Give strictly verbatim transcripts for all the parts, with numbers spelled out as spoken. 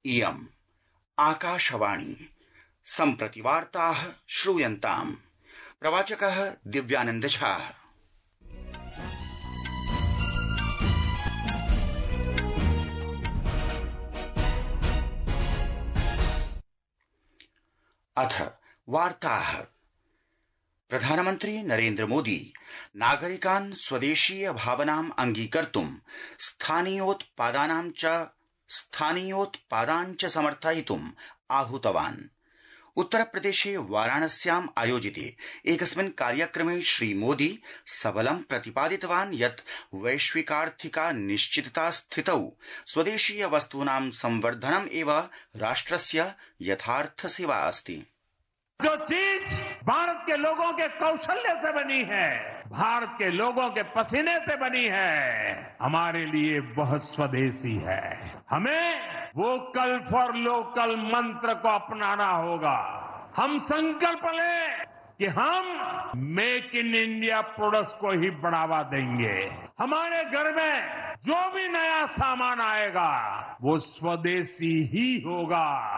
इयम् आकाशवाणी सम्प्रति वार्ताः श्रूयन्ताम्। प्रवाचकः दिव्यानंद झा। अथ वार्ताः। प्रधानमन्त्री नरेन्द्र मोदी नागरिकान् स्वदेशीय भावनाम् अंगीकर्तुं स्थानीयोत्पादानां च स्थानीयोत्पादान् च समर्थयितुम् आहूतवान्। उत्तरप्रदेशे वाराणस्याम् आयोजिते एकस्मिन् कार्यक्रमे श्रीमोदी सबलं प्रतिपादितवान् यत् वैश्विकार्थिका निश्चितता स्थितौ स्वदेशीय वस्तूनां संवर्धनम् एव राष्ट्रस्य यथार्थ सेवा अस्ति। जो चीज भारत के लोगों के कौशल्य से बनी है, भारत के लोगों के पसीने से बनी है, हमारे लिए वह स्वदेशी है। हमें वोकल फॉर लोकल मंत्र को अपनाना होगा। हम संकल्प लें कि हम मेक इन इंडिया प्रोडक्ट्स को ही बढ़ावा देंगे। हमारे घर में जो भी नया सामान आएगा वो स्वदेशी ही होगा।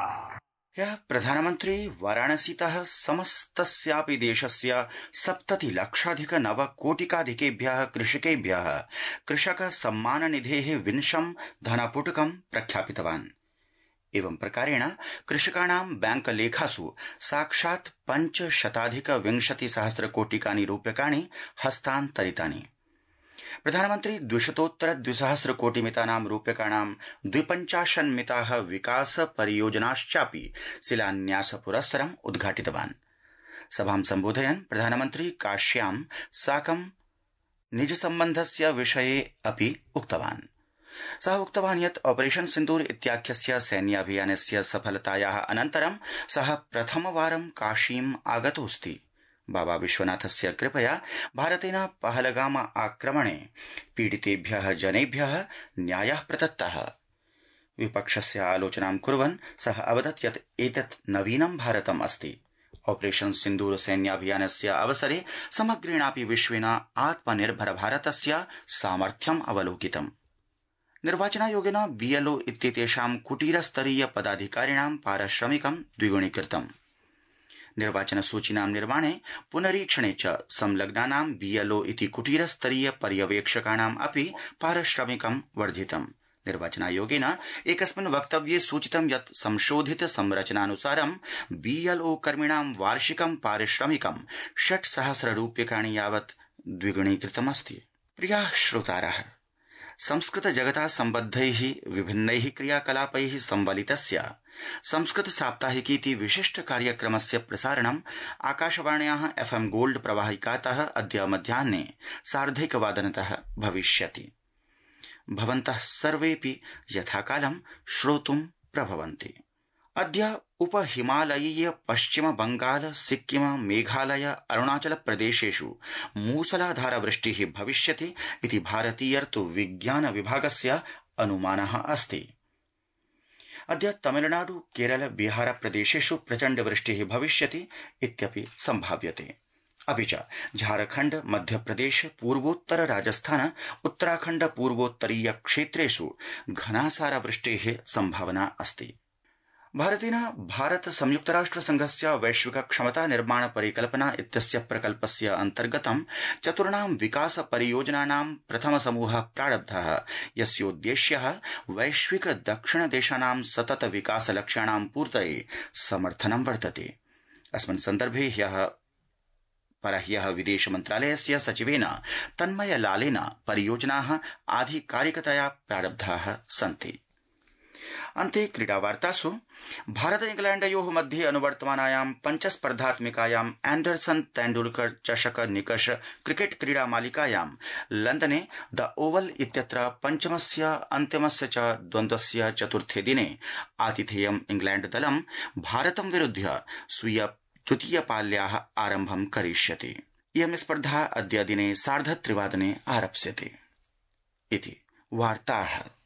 ह्यः प्रधानमन्त्री वाराणसीतः समस्तस्यापि देशस्य सप्तति लक्षाधिक नव कोटिकाधिकेभ्यः कृषकेभ्यः कृषक सम्मान निधेः विंशं धनपुटकं प्रख्यापितवान्। एवं प्रकारेण कृषकाणां बैंक लेखासु साक्षात् पञ्चशताधिक विंशति सहस्र कोटिकानि रूप्यकाणि हस्तान्तरितानि। प्रधानमन्त्री द्विशतोत्तर द्विसहस्र कोटिमितानां रूप्यकाणां द्विपञ्चाशन्मिताः विकास परियोजनाश्चापि शिलान्यास पुरस्सरम् उद्घाटितवान्। सभां सम्बोधयन् प्रधानमन्त्री काश्यां साकं निज सम्बन्धस्य विषये अपि उक्तवान्। सः उक्तवान् यत् ऑपरेशन सिन्दूर इत्याख्यस्य सैन्याभियानस्य सफलतायाः अनन्तरं सः प्रथमवारं काशीम् आगतोऽस्ति। बाबा विश्वनाथस्य कृपया भारतेन पहलगाम आक्रमणे पीडितेभ्यः जनेभ्यः न्यायः प्रदत्तः। विपक्षस्य आलोचनां कुर्वन् सः अवदत् यत् एतत् नवीनं भारतम् अस्ति। ऑपरेशन सिन्दूर सैन्याभियानस्य अवसरे समग्रेणापि विश्वेन आत्मनिर्भर भारतस्य सामर्थ्यम् अवलोकितम्। निर्वाचनायोगेन बीएलओ इत्येतेषां कुटीरस्तरीय पदाधिकारिणां पारिश्रमिकं द्विगुणीकृतम्। निर्वाचन सूचीनां निर्माणे पुनरीक्षणे च संलग्नानां बीएलओ इति कुटीरस्तरीय पर्यवेक्षकाणाम् अपि पारिश्रमिकं वर्धितम्। निर्वाचनायोगेन एकस्मिन् वक्तव्ये सूचितं यत् संशोधित संरचनानुसारं बीएलओ कर्मिणां वार्षिकं पारिश्रमिकं षट् सहस्र रूप्यकाणि यावत् द्विगुणीकृतमस्ति। प्रियाः श्रोतारः, संस्कृत जगता सम्बद्धैः विभिन्नैः क्रियाकलापैः संवलितस्य संस्कृत साप्ताहिकीति विशिष्ट कार्यक्रमस्य प्रसारणम् आकाशवाण्याः एफएम गोल्ड प्रवाहिकातः अद्य मध्याह्ने सार्धैकवादनतः भविष्यति। भवन्तः सर्वेऽपि यथाकालं श्रोतुं प्रभवन्ति। अद्य उपहिमालयीय पश्चिम बंगाल सिक्किम मेघालय अरुणाचल प्रदेशेषु मूसलाधार वृष्टिः भविष्यति इति भारतीय ऋतु विज्ञान विभागस्य अनुमानः अस्ति। अद्य तमिलनाडु केरल बिहार प्रदेशेषु प्रचण्ड वृष्टिः भविष्यति इत्यपि संभाव्यते। अपि च झारखण्ड मध्यप्रदेश पूर्वोत्तर राजस्थान उत्तराखण्ड पूर्वोत्तरीय क्षेत्रेषु घनासार वृष्टेः संभावना अस्ति। भारतेन भारत संयुक्तराष्ट्र संघस्य वैश्विक क्षमता निर्माण परिकल्पना इत्यस्य प्रकल्पस्य अन्तर्गतं चतुर्णां विकास परियोजनानां प्रथम समूहः प्रारब्धः, यस्योद्देश्यः वैश्विक दक्षिण देशानां सतत विकास लक्ष्याणां पूर्तये समर्थनं वर्तते। अस्मिन् सन्दर्भे ह्यः परह्यः विदेश मन्त्रालयस्य सचिवेन तन्मय लालेन परियोजनाः आधिकारिकतया प्रारब्धाः सन्ति। अन्ते क्रीडावार्तासु भारत इंग्लैंडयोः मध्ये अनुवर्तमानायां पञ्चस्पर्धात्मिकायां एंडरसन तेंडुलकर चषक निकष क्रिकेट क्रीडा मालिकायां लंदने द ओवल इत्यत्र पञ्चमस्य अन्तिमस्य च द्वन्द्वस्य चतुर्थे दिने आतिथेयं इंग्लैंड दलं भारतं विरुध्य स्वीय द्वितीय पाल्याः आरम्भं करिष्यति। इयं स्पर्धा अद्य दिने सार्धत्रिवादने आरप्स्यते। इति वार्ताः।